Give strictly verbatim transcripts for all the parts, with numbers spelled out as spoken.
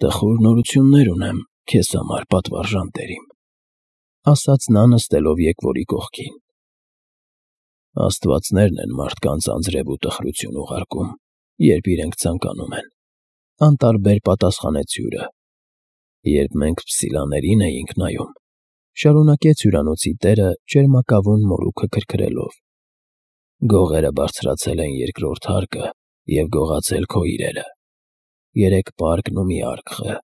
Տխուր նորություններ ունեմ քեզ համար, պատվարժան տերիմ, ասաց նա նստելով եկվորի կողքին։ Աստվածներն են մարդկանց անձրև ու տխրություն ուղարկում, երբ իրենք ցանկանում են, անտարբեր պատասխանեց հյուրը։ Երբ մենք փսիլաներին էինք նայում, շարունակեց հյուրանոցի տերը ճերմակավուն մորուքը քրքրելով, գողերը բարձրացել են երկրորդ հարկը և գողացել քո իրերը, երեք պարկն ու մի արկղը,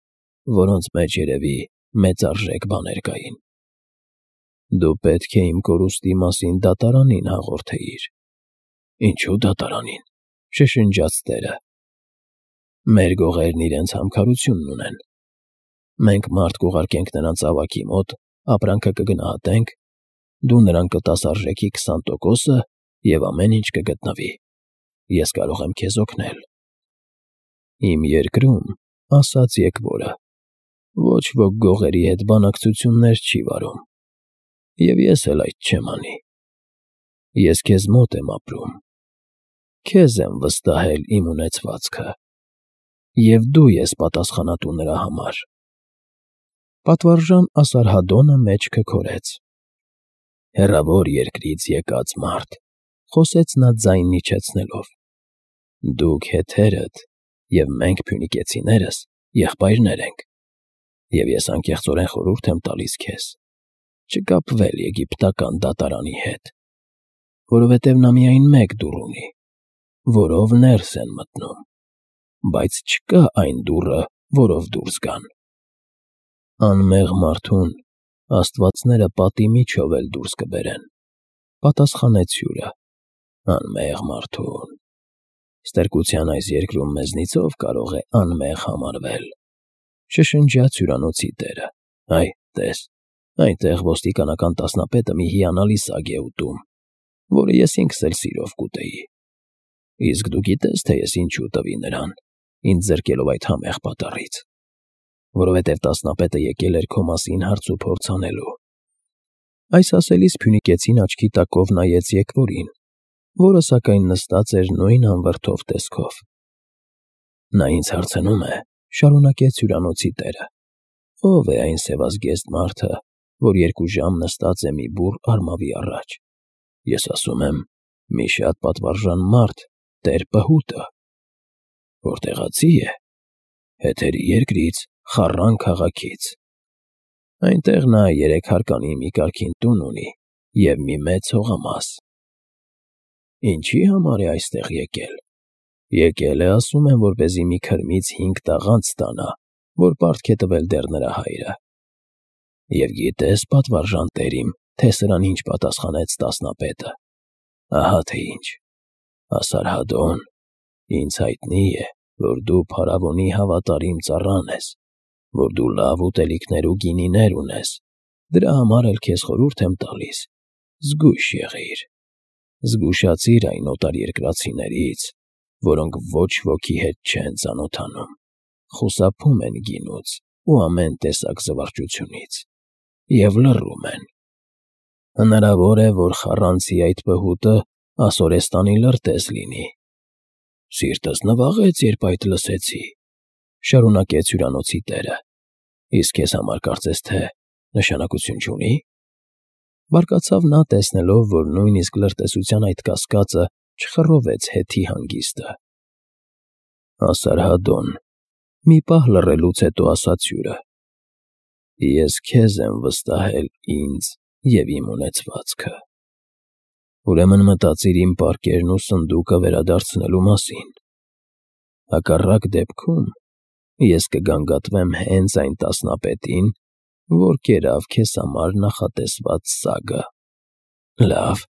որոնց մեջ երևի մեծարժեք բաներ կային։ Դու պետք է իմ կորուստի մասին դատարանին հաղորդեիր։ Ինչո՞ւ դատարանին, շշնջաց տերը։ Մեր գողերն իրենց համքարությունն ունեն։ Մենք մարդ կուղարկենք նրանց ավագի մոտ, ապրանքը կգնահատենք, դու նրան կտաս արժեքի քսան տոկոսը և ամեն ինչ կգտնվի։ Ես կարող եմ քեզ օգնել։ Իմ երկրում, ասաց եկվորը, ոչ ոք գողերի հետ բանակցություններ չի վարում, և ես էլ այդ չեմ անի։ Ես քեզ մոտ եմ ապրում, քեզ եմ վստահել իմ ունեցվածքը, և դու ես պատասխանատու նրա համար։ Պատվարժան Ասարհադոնը մեջքը քորեց։ Հեռավոր երկրից եկած մարդ, խոսեց նա ձայնն իջեցնելով, դուք հետերդ և մենք փյունիկեցիներս եղբայրներ ենք, և ես անկեղծորեն խորհուրդ եմ տալիս քեզ չկապվել եգիպտական դատարանի հետ, որովհետև նա միայն մեկ դուռ ունի, որով ներս են մտնում, բայց չկա այն դուռը, որով դուրս գան։ Անմեղ մարդուն աստվածները պատի միջով էլ դուրս կբերեն, պատասխանեց հյուրը։ Անմեղ մարդուն… Ստրկության այս երկրում մեզնից ով կարող է անմեղ համարվել, շշնջաց հյուրանոցի տերը։ Այ, տես, այնտեղ ոստիկանական տասնապետը մի հիանալի սագ է ուտում, որը ես ինքս էլ սիրով կուտեի։ Իսկ դու գիտե՞ս, թե ես ինչու տվի նրան, ինձ զրկելով այդ համեղ պատառից, որովհետև տասնապետը եկել էր քո մասին հարց ու փորձ անելու։ Այս ասելիս փյունիկեցին աչքի տակով նայեց եկվորին, որը սակայն նստած էր նույն անվրդով տեսքով։ Նա ինձ հարցնում է, շարունակեց հյուրանոցի տերը, ով է այն սևազգեստ մարդը, որ երկու ժամ նստած է մի բուռ արմավի առաջ։ Ես ասում եմ. մի շատ պատվարժան մարդ, տեր֊Պհուտը։ Որտեղացի է։ Հեթերի երկրից, Խառան քաղաքից։ Այնտեղ նա երեք հարկանի մի կարգին տուն ունի և մի մեծ հողամաս։ Ինչի համար է այստեղ եկել։ Եկել է, ասում են, որպեսզի մի քրմից հինգ տաղանդ ստանա, որ պարտք է տվել դեռ նրա հայրը։ Եվ գիտե՞ս, պատվարժան տերիմ, թե սրան ինչ պատասխանեց տասնապետը։ Ահա թե ինչ. Ասարհադոն, ինձ հայտնի է, որ դու փարավոնի հավատարիմ ծառան ես, որ դու լավ ուտելիքներ ու գինիներ ունես, դրա համար էլ քեզ խորհուրդ եմ տալիս. զգույշ եղիր, զգուշացիր այն օտարերկրացիներից, որոնք ոչ ոքի հետ չեն ծանոթանում, խուսափում են գինուց ու ամեն տեսակ զվարճությունից և լռում են։ Հնարավոր է, որ խառանցի այդ Պհուտը ասորեստանի լրտես լինի։ Սիրտս նվաղեց, երբ այդ լսեցի, շարունակեց հյուրանոցի տերը։ Իսկ քեզ համար կարծես թե նշանակություն չունի։ Բարկացավ նա, տեսնելով, որ նույնիսկ լրտեսության այդ կասկածը չխռովեց հետի հանգիստը։ Ասարհադոն, մի պահ լռելուց հետո ասաց հյուրը. Ես քեզ եմ վստահել ինձ և իմ ունեցվածքը։ Ուրեմն մտածիր իմ պարկերն ու սնդուկը վերադարձնելու մասին։ Հակառակ դեպքում ես կգանգատվեմ հենց այն տասնապետին, որ կերավ քեզ համար նախատեսված սագը։ Լավ,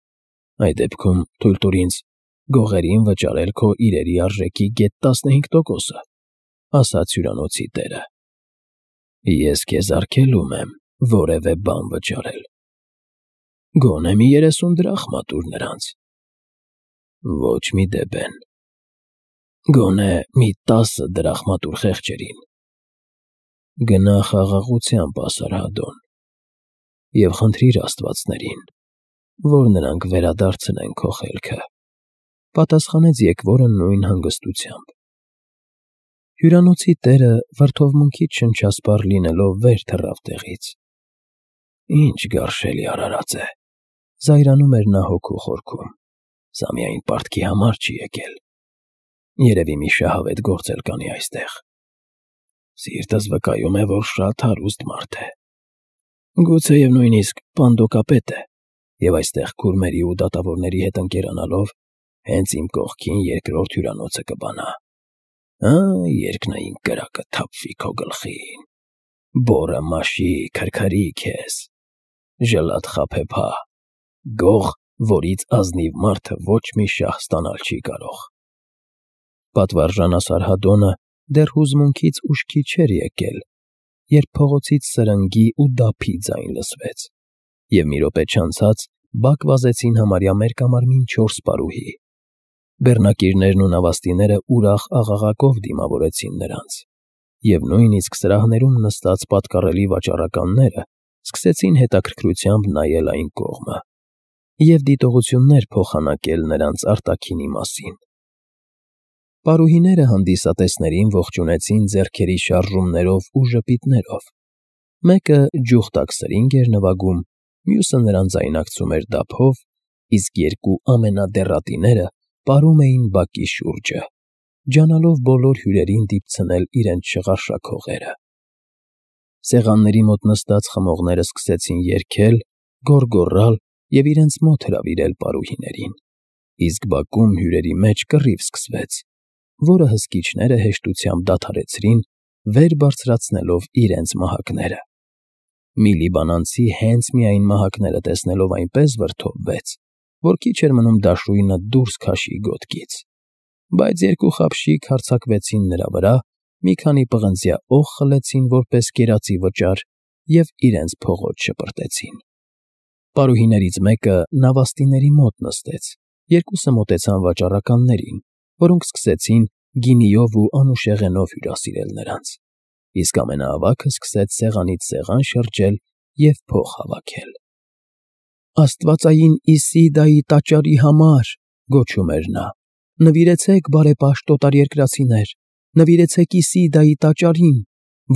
այդ դեպքում թույլ տուր ինձ գողերին վճարել քո իրերի արժեքի գեթ տասնհինգ տոկոսը, ասաց հյուրանոցի տերը։ Ես քեզ արգելում եմ որևէ բան վճարել։ Գոնե մի երեսուն դրախմա տուր նրանց։ Ոչ մի դեբեն։ Գոնե մի տասը դրախմա տուր խեղճերին։ Գնա խաղաղությամբ, Ասարհադոն, և խնդրիր աստվածներին, որ նրանք վերադարձնեն քո խելքը, պատասխանեց եկվորը նույն հանգստությամբ։ Հյուրանոցի տերը վրդովմունքից շնչասպառ լինելով վեր թռավ տեղից։ Ինչ գարշելի արարած է, զայրանում էր նա հոգու խորքում, սա միայն պարտքի համար չի եկել, երևի մի շահավետ գործ էլ կանի այստեղ։ Սիրտս վկայում է, որ շատ հարուստ մարդ է, գուցեև նույնիսկ պանդոկապետ է, և այստեղ քուրմերի ու դատավորների հետ ընկերանալով հենց իմ կողքին երկրորդ հյուրանոցը կբանա։ Ա, երկնային կրակը թափվի քո գլխին, բոռը մաշի, քրքրի քեզ, ժլատ խաբեբա, գող, որից ազնիվ մարդը ոչ մի շահ ստանալ չի կարող։ Պատվարժան Ասարհադոնը դեռ հուզմունքից ուշքի չէր եկել, երբ փողոցից սրնգի ու դափի ձայն լսվեց, և մի րոպե չանցած բակ վազեցին համարյա մերկամարմին չորս պարուհի։ Բեռնակիրներն ու նավաստիները ուրախ աղաղակով դիմավորեցին նրանց, և նույնիսկ սրահներում նստած պատկառելի վաճառականները սկսեցին հետաքրքրությամբ նայել այն կողմը և դիտողություններ փոխանակել նրանց արտաքինի մասին։ Պարուհիները հանդիսատեսներին ողջունեցին ձեռքերի շարժումներով ու ժպիտներով, մեկը ջուխտակ սրինգ էր նվագում, մյուսը նրան ձայնակցում էր դափով, իսկ երկու ամենադեռատիները պարում էին բակի շուրջը, ջանալով բոլոր հյուրերին դիպցնել իրենց շղարշակ հողերը։ Սեղանների մոտ նստած խմողները սկսեցին երգել, գոռգոռալ և իրենց մոտ հրավիրել պարուհիներին, իսկ բակում հյուրերի մեջ կռիվ սկսվեց, որը հսկիչները հեշտությամբ դադարեցրին, վեր բարձրացնելով իրենց մահակները։ Մի լիբանանցի հենց միայն մահակները տեսնելով այնպես վրդովվեց, որ քիչ էր մնում դաշույնը դուրս քաշի գոտկից, բայց երկու խաբշիկ հարձակվեցին նրա վրա, մի քանի պղնձյա օղ խլեցին որպես կերածի վճար և իրենց փողոց շպրտեցին։ Պարուհիներից մեկը նավաստիների մոտ նստեց, երկուսը մոտեցան վաճառականներին, որոնք սկսեցին գինիով ու անուշեղենով հյուրասիրել նրանց, իսկ ամենաավագը սկսեց սեղանից սեղան շրջել և փող հավաքել։ «Աստվածային Իսիդայի տաճարի համար», գոչում էր նա, «նվիրեցեք, բարեպաշտ օտարերկրացիներ, նվիրեցեք Իսիդայի տաճարին,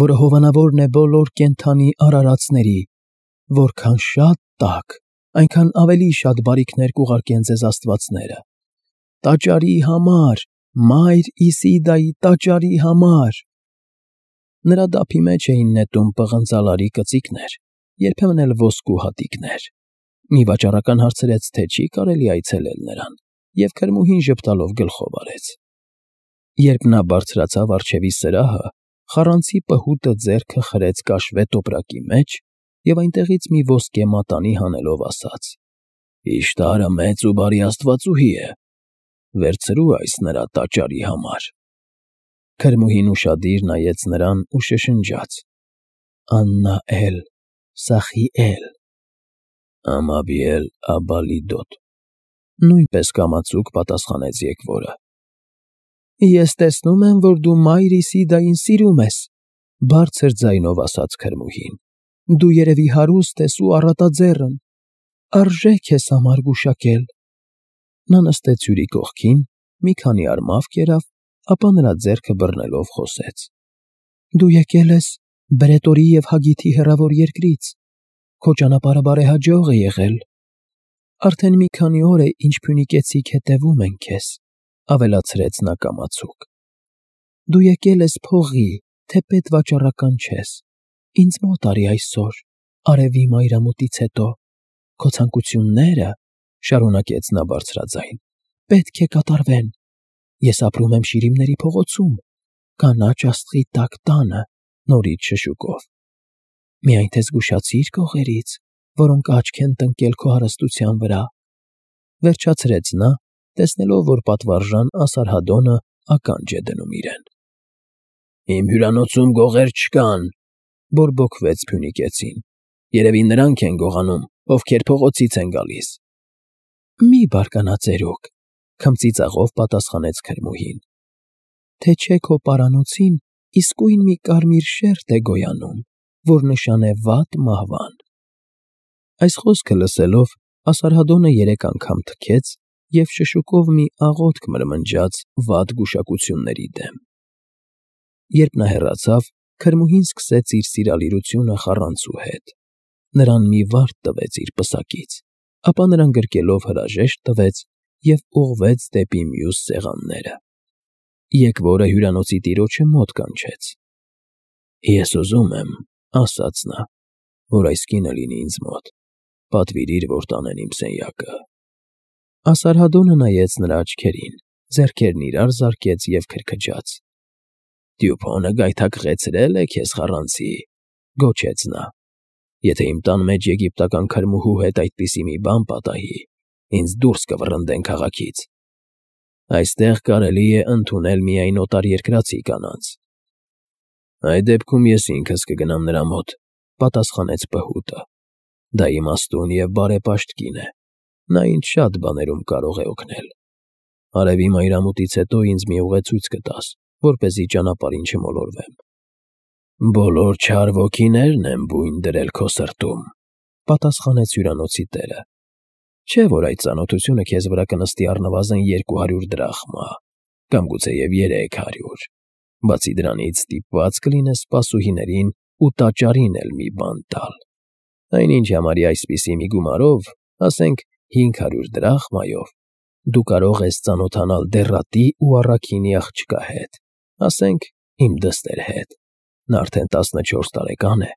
որը հովանավորն է բոլոր կենդանի արարածների, որքան շատ տաք, այնքան ավելի շատ բարիքներ կուղարկեն ձեզ աստվածները, տաճարի համար, մայր Իսիդայի տաճարի համար»։ Նրա դափի մեջ էին նետում պղնձալարի կծիկներ, երբեմն էլ ոսկու հատիկներ։ Մի վաճառական հարցրեց, թե չի կարելի այցելել նրան, և քրմուհին ժպտալով գլխով արեց։ Երբ նա բարձրացավ առջևի սրահը, խառանցի պհուտը ձեռքը խրեց կաշվե տոպրակի մեջ և այնտեղից մի ոսկե մատանի հանելով ասաց. «Իշտարը մեծ ու բարի աստվածուհի է, վերցրու այս նրա տաճարի համար»։ Քրմուհին ուշադիր նայեց նրան ու շշնջաց. «Աննա֊էլ, Սախի֊էլ»։ «Ամաբիել֊աբալիդոտ», նույնպես կամացուկ պատասխանեց եկվորը։ «Ես տեսնում եմ, որ դու մայր Իսիդային սիրում ես», բարձր ձայնով ասաց քրմուհին։ «Դու երևի հարուստ ես ու առատաձեռն, արժե քեզ համար գուշակել»։ Նա նստեց հյուրի կողքին, մի քանի արմավ կերավ, ապա նրա ձեռքը բռնելով խոսեց. «Դու եկել ես Բրետորի և Հագիթի հեռավոր երկրից, քո ճանապարհը բարեհաջող է եղել։ Արդեն մի քանի օր է, ինչ փյունիկեցիք հետևում են քեզ», ավելացրեց նա կամացուկ։ «Դու եկել ես փողի, թեպետ վաճառական չես, ինձ մոտ արի այսօր, արևի մայրամուտից հետո, քո ցանկությունները, ֊ շարունակեց նա բարձրաձայն, ֊ պետք է կատարվեն։ Ես ապրում եմ Շիրիմների փողոցում, կանաչ աստղի տաք տանը, նորից շշուկով։ Միայն թե զգուշացիր կողերից, որոնք աչք են տնկել քո հարստության վրա», վերջացրեց նա, տեսնելով, որ պատվարժան Ասարհադոնը ականջ է դնում իրեն։ «Իմ հյուրանոցում գողեր չկան», բորբոքվեց փյունիկեցին, «երևի նրանք են գողանում, ովքեր փողոցից են գալիս»։ «Մի բարկանա ծերուկ», քմծիծաղով պատասխանեց քրմուհին, «թե չէ քո պարանոցին իսկույն մի կարմիր շերտ է գոյանում, որ նշան է վատ մահվան»։ Այս խոսքը լսելով Ասարհադոնը երեք անգամ թքեց և շշուկով մի աղոթք մրմնջաց վատ գուշակությունների դեմ։ Երբ նա հեռացավ, քրմուհին սկսեց իր սիրալիրությունը խառանցու հետ. նրան մի վարդ տվեց իր պսակից, ապա նրան գրկելով հրաժեշտ տվեց և ուղղվեց դեպի մյուս սեղանները։ Եկվորը հյուրանոցի տիրոջը մոտ կանչեց. «Ես ուզում եմ,֊ ասաց նա,֊ որ այս կինը լինի ինձ մոտ, պատվիրիր, որ տանեն իմ սենյակը»։ Ասարհադոնը նայեց նրա աչքերին, ձեռքերն իրար զարկեց և քրքջաց. «Տյուփոնը գայթակղեցրել է քեզ, խառանցի,֊ գոչեց նա,֊ եթե իմ տան մեջ եգիպտական քրմուհու հետ այդպիսի մի բան պատահի, ինձ դուրս կվռնդեն քաղաքից։ Այստեղ կարելի է ընդունել միայն օտարերկրացի կանանց»։ «Այդ դեպքում ես ինքս կգնամ նրա մոտ,֊ պատասխանեց պհուտը,֊ դա իմաստուն և բարեպաշտ կին է, նա ինձ շատ բաներում կարող է օգնել։ Արևի մայրամուտից հետո ինձ մի ուղեցույց կտաս, որպեսզի ճանապարհին չմոլորվեմ»։ «Բոլոր չար ոգիներն են բույն դրել քո սրտում,֊ պատասխանեց հյուրանոցի տերը,֊ չէ՞ որ այդ ծանոթությունը քեզ վրա կնստի առնվազն երկու հարյուր դրախմա, կամ գուցեև երեք հարյուր, բացի դրանից ստիպված կլինես սպասուհիներին ու տաճարին էլ մի բան տալ, այնինչ համարյա այսպիսի մի գումարով, ասենք հինգ հարյուր դրախմայով, դու կարող ես ծանոթանալ դեռատի ու առաքինի աղջկա հետ, ասենք իմ դստեր հետ, նա արդեն տասնչորս տարեկան է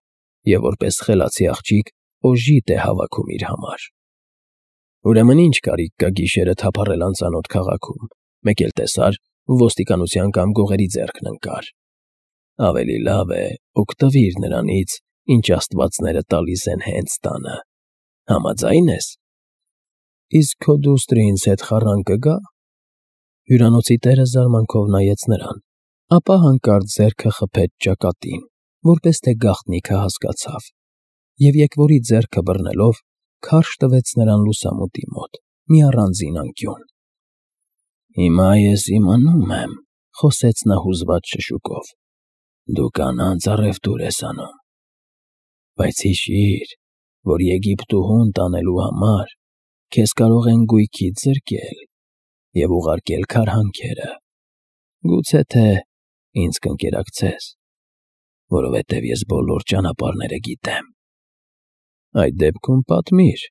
և որպես խելացի աղջիկ օժիտ է հավաքում իր համար։ Ուրեմն ի՞նչ կարիք կա գիշերը թափառել անծանոթ քաղաքում, մեկ էլ տեսար ոստիկանության կամ գողերի ձեռքն ընկար։ Ավելի լավ է օգտվիր նրանից, ինչ աստվածները տալիս են հենց տանը։ Համաձա՞յն ես։ Իսկ քո դուստրը ինձ հետ խառան կգա՞։ Հյուրանոցի տերը զարմանքով նայեց նրան, ապա հանկարծ ձեռքը խփեց ճակատին, որպես թե գաղտնիքը հասկացավ, և եկվորի ձեռքը բռնելով քարշ տվեց նրան լուսամուտի մոտ, մի առանձին անկյուն։ «Հիմա ես իմանում եմ,֊ խոսեց նա հուզված շշուկով,֊ դու կանանց առևտուր ես անում։ Բայց հիշիր, որ Եգիպտուհուն տանելու համար քեզ կարող են գույքից զրկել և ուղարկել քարհանքերը, գուցե թե ինձ կընկերակցես, որովհետև ես բոլոր ճանապարհները գիտեմ։ Այդ դեպքում պատմիր,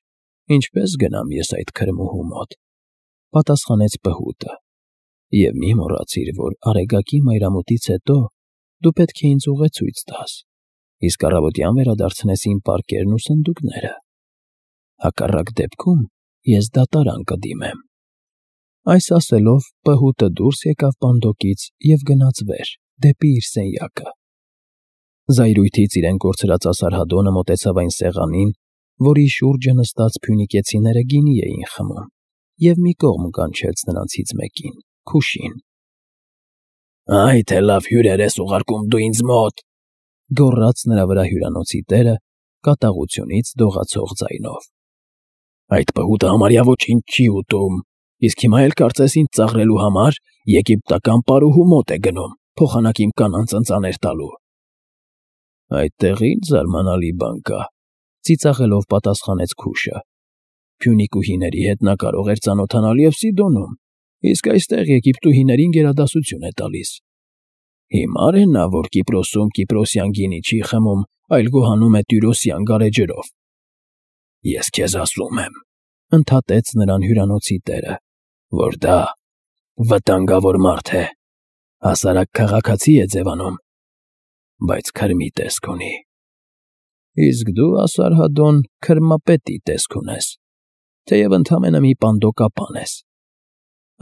ինչպե՞ս գնամ ես այդ քրմուհու մոտ,֊ պատասխանեց պհուտը,֊ և մի մոռացիր, որ Արեգակի մայրամուտից հետո դու պետք է ինձ ուղեցույց տաս, իսկ առավոտյան վերադարձնես իմ պարկերն ու սնդուկները։ Հակառակ դեպքում ես դատարան կդիմեմ»։ Այս ասելով պհուտը դուրս եկավ պանդոկից և գնաց վեր, դեպի իր սենյակը։ Զայրույթից իրեն կորցրած Ասարհադոնը մոտեցավ այն սեղանին, որի շուրջը նստած փյունիկեցիները գինի էին խմում, և մի կողմ կանչեց նրանցից մեկին՝ Քուշին։ «Այ թե լավ հյուրեր ես ուղարկում դու ինձ մոտ,֊ գոռաց նրա վրա հյուրանոցի տերը կատաղությունից դողացող ձայնով,֊ այդ պհուտը համարյա ոչինչ չի ուտում, իսկ հիմա էլ կարծես ինձ ծաղրելու համար եգիպտական պարուհու մոտ է գնում, փոխանակ իմ կանանց ընծաներ տալու»։ «Այդտեղ ի՞նչ զարմանալի բան կա,֊ ծիծաղելով պատասխանեց Քուշը,֊ փյունիկուհիների հետ նա կարող էր ծանոթանալ և Սիդոնում, իսկ այստեղ եգիպտուհիներին գերադասություն է տալիս։ Հիմար է նա, որ Կիպրոսում կիպրոսյան գինի չի խմում, այլ գոհանում է տյուրոսյան գարեջրով։ Ես քեզ ասում եմ,֊ ընդհատեց նրան հյուրանոցի տերը,֊ որ դա վտանգավոր մարդ է, հասարակ քաղաքացի է ձևանում, բայց քրմի տեսք ունի։ Իսկ դու, Ասարհադոն, քրմապետի տեսք ունես, թեև ընդամենը մի պանդոկապան ես։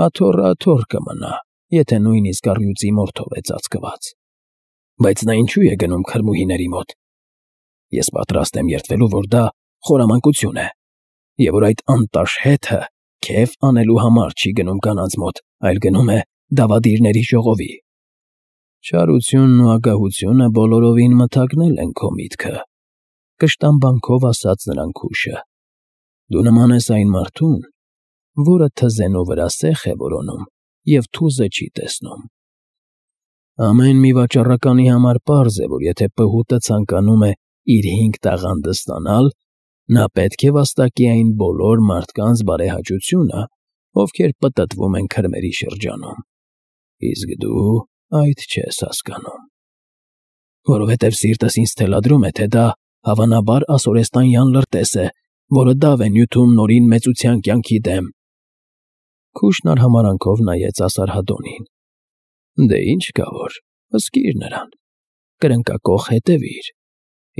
Աթոռը աթոռ կմնա, եթե նույնիսկ առյուծի մորթով է ծածկված։ Բայց նա ինչո՞ւ է գնում քրմուհիների մոտ։ Ես պատրաստ եմ երդվելու, որ դա խորամանկություն է, և որ այդ անտաշ հետը քեֆ անելու համար չի գնում կանանց մոտ, այլ գնում է դավադիրների ժողովի։ Չարությունն ու ագահությունը բոլորովին մթագնել են քո միտքը,֊ կշտամբանքով ասաց նրան Քուշը,֊ դու նման ես այն մարդուն, որը թզենու վրա սեխ է որոնում և թուզը չի տեսնում։ Ամեն մի վաճառականի համար պարզ է, որ եթե պհուտը ցանկանում է իր հինգ տաղանդը ստանալ, նա պետք է վաստակի այն բոլոր մարդկանց բարեհաճությունը, ովքեր պտտվում են քրմերի շրջանում, իսկ դու այդ չես հասկանում։ որովհետև սիրտս ինձ թելադրում է, թե դա հավանաբար ասորեստանյան լրտես է, որը դավ է նյութում նորին մեծության կյանքի դեմ։ Քուշն արհամարանքով նայեց Ասարհադոնին։ Դե ինչ կա որ, հսկիր նրան, կրնկակոխ հետևիր,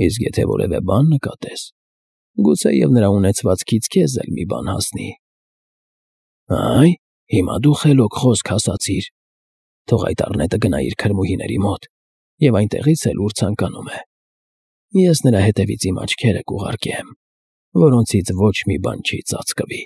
իսկ եթե որևէ բան նկատես, գուցեև նրա ունեցվածքից քեզ էլ մի բան հասնի։ Այ, հիմա դու խելոք խոսք ասացիր, թող այդ առնետը գնա իր քրմուհիների մոտ և այնտեղից էլ ուր ցանկանում է։ Ես նրա հետևից իմ աչքերը կուղարկեմ, որոնցից ոչ մի բան չի ծածկվի։